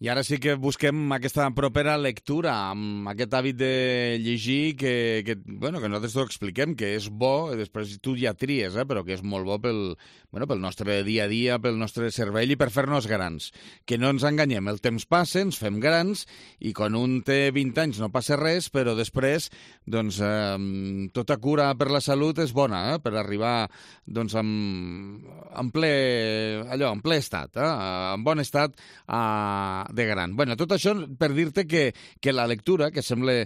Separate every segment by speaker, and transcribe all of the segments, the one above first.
Speaker 1: I ara sí que busquem aquesta propera lectura, amb aquest hàbit de llegir que nosaltres t'ho expliquem, que és bo, després tu ja tries, però que és molt bo pel nostre dia a dia, pel nostre cervell i per fer-nos grans. Que no ens enganyem, el temps passa, ens fem grans, i quan un té 20 anys no passa res, però després, doncs, tota cura per la salut és bona, per arribar, doncs, en ple estat, en bon estat de gran. Bueno, tot això per dir-te que la lectura, que sembla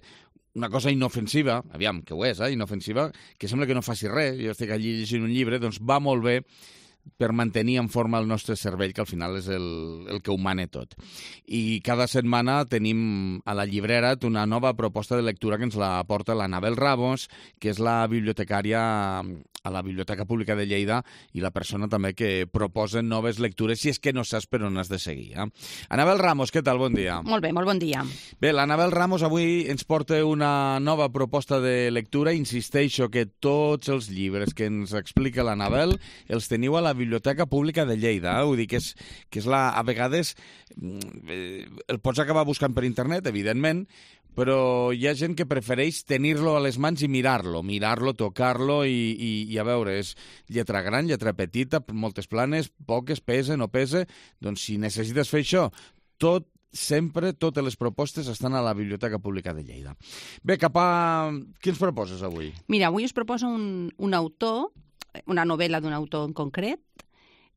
Speaker 1: una cosa inofensiva, aviam, que ho és, inofensiva, que sembla que no faci res, jo estic allí llegint un llibre, doncs va molt bé per mantenir en forma el nostre cervell, que al final és el que ho mana tot. I cada setmana tenim a la llibrera una nova proposta de lectura que ens la porta l'Anabel Ramos, que és la bibliotecària a la Biblioteca Pública de Lleida i la persona també que proposa noves lectures, si és que no saps per on has de seguir. Anabel Ramos, què tal? Bon dia.
Speaker 2: Molt bé, molt bon dia.
Speaker 1: Bé, l'Anabel Ramos avui ens porta una nova proposta de lectura. Insisteixo que tots els llibres que ens explica l'Anabel els teniu a la Biblioteca Pública de Lleida. Vull dir que és a vegades el pots acabar buscant per internet, evidentment, però hi ha gent que prefereix tenir-lo a les mans i mirar-lo, tocar-lo i a veure, és lletra gran, lletra petita, moltes planes, poques, pesa, no pesa. Doncs si necessites fer això, sempre totes les propostes estan a la Biblioteca Pública de Lleida. Bé, què ens proposes avui?
Speaker 2: Mira, avui us proposo un autor, una novel·la d'un autor en concret.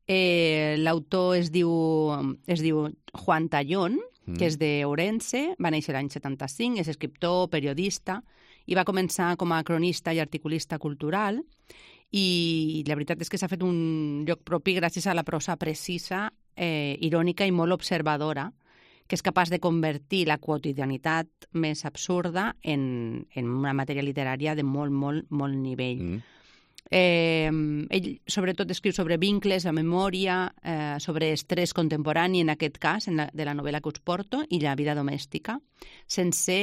Speaker 2: L'autor es diu Juan Tallón, que és d'Ourense, va néixer l'any 75, és escriptor, periodista, i va començar com a cronista i articulista cultural, i la veritat és que s'ha fet un lloc propi gràcies a la prosa precisa, irònica i molt observadora, que és capaç de convertir la quotidianitat més absurda en una matèria literària de molt, molt, molt nivell. Ell sobretot escriu sobre vincles, la memòria, sobre estrès contemporani, en aquest cas, de la novel·la que us porto, i la vida domèstica, sense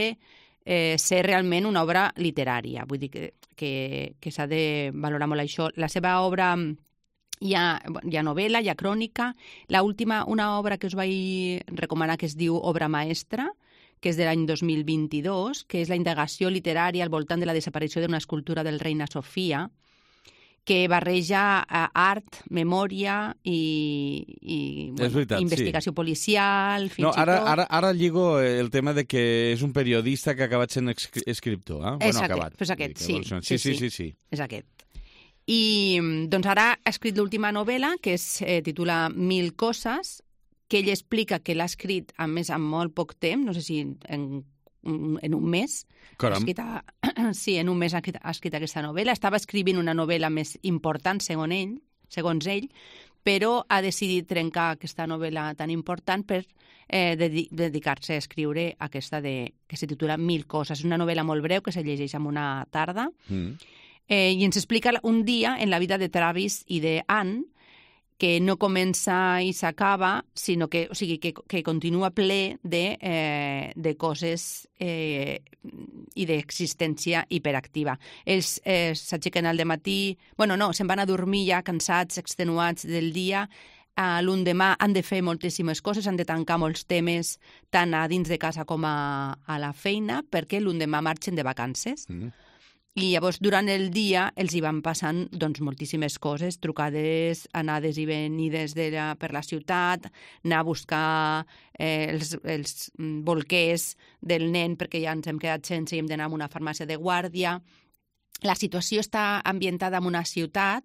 Speaker 2: ser realment una obra literària. Vull dir que s'ha de valorar molt això. La seva obra hi ha novel·la, hi ha crònica. Una obra que us vaig recomanar que es diu Obra Maestra, que és de l'any 2022, que és la indagació literària al voltant de la desaparició d'una escultura del Reina Sofia, que barreja art, memòria i
Speaker 1: veritat,
Speaker 2: investigació policial, fins i
Speaker 1: tot. Ara lligo el tema de que és un periodista que ha acabat sent escriptor.
Speaker 2: És aquest, sí. És aquest. I doncs ara ha escrit l'última novel·la, que es titula 1000 coses, que ell explica que l'ha escrit, a més, en molt poc temps, no sé si en un mes. En un mes ha escrit aquesta novel·la. Estava escrivint una novel·la més important, segons ell, però ha decidit trencar aquesta novel·la tan important per dedicar-se a escriure aquesta que se titula 1000 coses. És una novel·la molt breu que se llegeix en una tarda i ens explica un dia en la vida de Travis i d'Anne, que no comença i s'acaba, sinó que continua ple de coses i d'existència hiperactiva. Ells s'aixequen al dematí, se'n van a dormir ja cansats, extenuats del dia. L'endemà han de fer moltíssimes coses, han de tancar molts temes tant a dins de casa com a la feina, perquè l'endemà marxen de vacances. I llavors, durant el dia, els hi van passant moltíssimes coses, trucades, anades i venides per la ciutat, anar a buscar els bolquers del nen perquè ja ens hem quedat sense i hem d'anar a una farmàcia de guàrdia. La situació està ambientada en una ciutat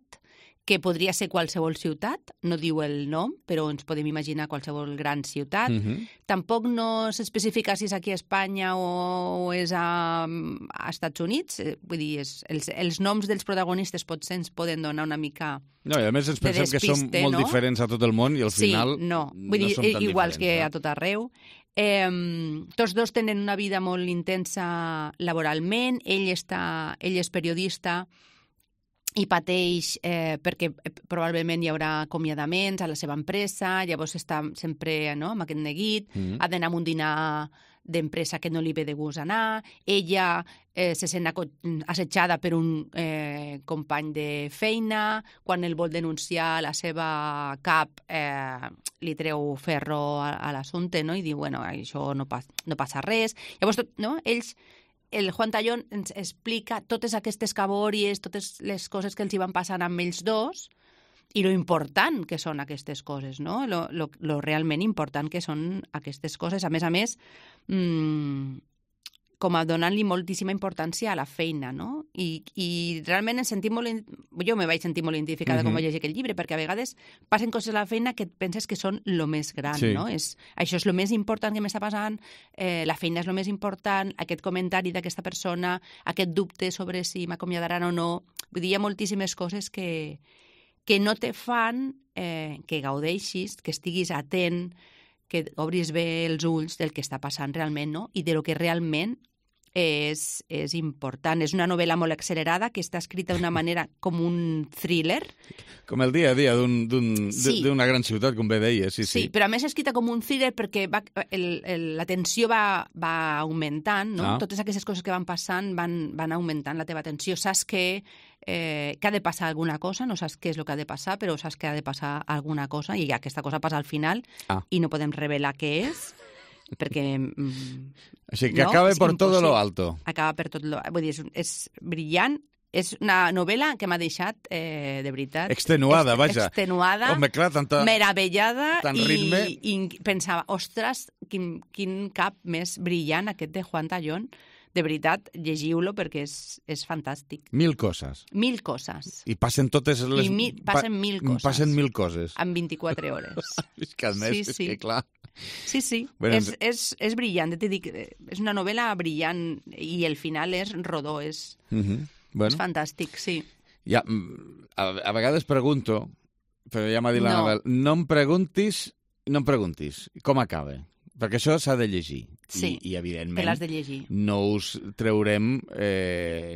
Speaker 2: que podria ser qualsevol ciutat, no diu el nom, però ens podem imaginar qualsevol gran ciutat. Tampoc no s'especifica si és aquí a Espanya o és a Estats Units. Vull dir, els noms dels protagonistes potser ens poden donar una mica
Speaker 1: no, i a més ens pensem que som molt diferents a tot el món i al final
Speaker 2: vull dir,
Speaker 1: som tan
Speaker 2: iguals
Speaker 1: diferents.
Speaker 2: Que a tot arreu. Tots dos tenen una vida molt intensa laboralment. Ell és periodista i pateix perquè probablement hi haurà acomiadaments a la seva empresa, llavors està sempre amb aquest neguit, ha d'anar a un dinar d'empresa que no li ve de gust anar, ella se sent assetjada per un company de feina, quan el vol denunciar la seva cap li treu ferro a l'assumpte, no? I diu, bueno, això no passa res. Llavors, el Juan Tallón ens explica totes aquestes cabòries, totes les coses que els hi van passant amb ells dos, i lo important que són aquestes coses, no? Lo realment important que són aquestes coses. A més, com a donant-li moltíssima importància a la feina, no? I realment jo me vaig sentir molt identificada quan vaig llegir aquest llibre, perquè a vegades passen coses a la feina que et penses que són lo més gran, no? Això és lo més important que m'està passant, la feina és lo més important, aquest comentari d'aquesta persona, aquest dubte sobre si m'acomiadaran o no. Vull dir, hi ha moltíssimes coses que no te fan que gaudeixis, que estiguis atent, que obris bé els ulls del que està passant realment, no? I de lo que realment és important. És una novel·la molt accelerada que està escrita d'una manera com un thriller.
Speaker 1: Com el dia a dia d'una gran ciutat, com bé deies.
Speaker 2: Sí, però a més escrita com un thriller perquè la tensió va augmentant, no? Totes aquestes coses que van passant van augmentant la teva tensió. Saps que ha de passar alguna cosa, no saps què és el que ha de passar, però saps que ha de passar alguna cosa i aquesta cosa passa al final i no podem revelar què és, perquè...
Speaker 1: Així que acaba per tot lo alto.
Speaker 2: Acaba per tot lo... Vull dir, és brillant, és una novel·la que m'ha deixat, de veritat...
Speaker 1: Extenuada, vaja.
Speaker 2: Extenuada,
Speaker 1: home, clar,
Speaker 2: meravellada,
Speaker 1: ritme.
Speaker 2: I pensava, ostres, quin cap més brillant aquest de Juan Tallón. De veritat, llegiu-lo perquè és fantàstic.
Speaker 1: 1000 coses.
Speaker 2: 1000 coses.
Speaker 1: I passen totes les...
Speaker 2: Passen 1000 coses.
Speaker 1: Passen 1000 coses.
Speaker 2: En 24 hores.
Speaker 1: És que a més, és que clar...
Speaker 2: Sí. Bueno, és brillant, te dic, és una novel·la brillant i el final és rodó, és fantàstic, sí.
Speaker 1: Ja, a vegades pregunto, però ja m'ha dit l'Anabel, no em preguntis com acaba, perquè això s'ha de llegir.
Speaker 2: Sí,
Speaker 1: I evidentment,
Speaker 2: te l'has de llegir.
Speaker 1: No us traurem,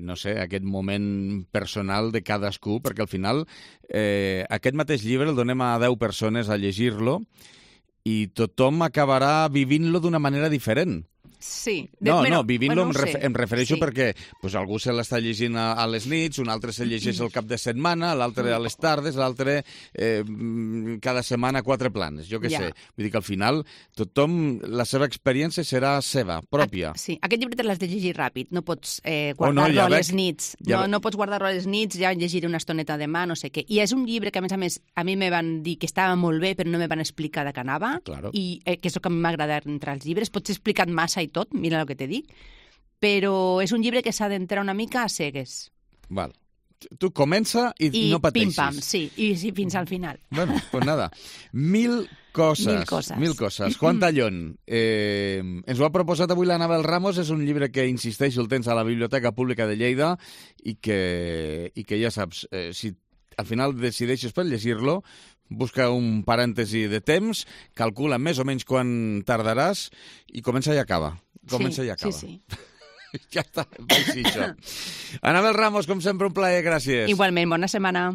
Speaker 1: no sé, aquest moment personal de cadascú, perquè al final aquest mateix llibre el donem a 10 persones a llegir-lo i tothom acabarà vivint-lo d'una manera diferent.
Speaker 2: Sí.
Speaker 1: Vivint-lo em refereixo perquè algú se l'està llegint a les nits, un altre se llegeix el cap de setmana, l'altre a les tardes, l'altre cada setmana 4 planes, jo què sé. Vull dir que al final tothom, la seva experiència serà seva, pròpia.
Speaker 2: Sí, aquest llibre te l'has de llegir ràpid, no pots guardar-lo a les nits. No pots guardar-lo a les nits, ja llegiré una estoneta demà, no sé què. I és un llibre que, a més, a mi me van dir que estava molt bé, però no me van explicar de què anava, i que és el que m'agrada entre els llibres. Pots explicar massa i tot, mira el que te dic, però és un llibre que s'ha d'entrar una mica a cegues.
Speaker 1: Val. Tu comença i no pateixis.
Speaker 2: Pim-pam, sí, i fins al final.
Speaker 1: Bueno, pues nada. 1000 coses. 1000 coses. Juan Tallón. Ens ho ha proposat avui l'Anabel Ramos. És un llibre que, insisteixo, el tens a la Biblioteca Pública de Lleida i que ja saps, si al final decideixes per llegir-lo, busca un parèntesi de temps, calcula més o menys quan tardaràs i comença i acaba.
Speaker 2: Sí.
Speaker 1: Ja està, així això. Anabel Ramos, com sempre, un plaer, gràcies.
Speaker 2: Igualment, bona setmana.